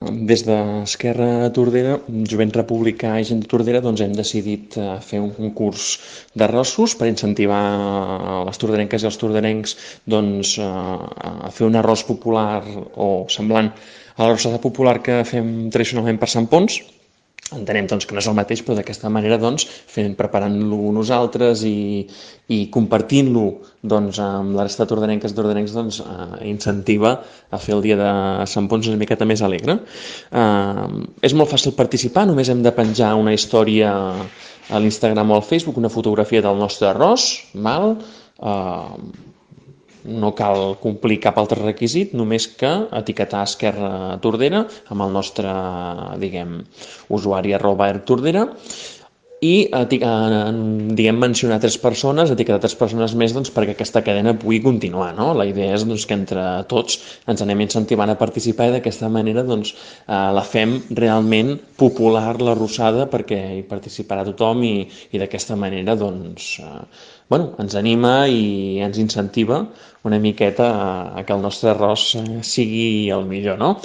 Des d'Esquerra Tordera, Jovent Republicà i Gent de Tordera, doncs hem decidit fer un concurs d'arrossos per incentivar les torderenques i els torderencs doncs, a fer un arròs popular o semblant a l'arrossada popular que fem tradicionalment per Sant Ponç. Entenem doncs, que no és el mateix, però d'aquesta manera doncs, preparant-lo nosaltres i compartint-lo doncs, amb la resta de tordarenques i tordarencs doncs, incentiva a fer el dia de Sant Ponç una miqueta més alegre. És molt fàcil participar, només hem de penjar una història a l'Instagram o al Facebook, una fotografia del nostre arròs, val? No cal complir cap altre requisit, només que etiquetar Esquerra Tordera amb el nostre, usuari @ertordera i mencionar tres persones, etiquetar tres persones més doncs, perquè aquesta cadena pugui continuar. No? La idea és doncs, que entre tots ens anem incentivant a participar i d'aquesta manera doncs, la fem realment popular l'arrossada perquè hi participarà tothom i d'aquesta manera doncs, ens anima i ens incentiva una miqueta a que el nostre arròs sigui el millor. No?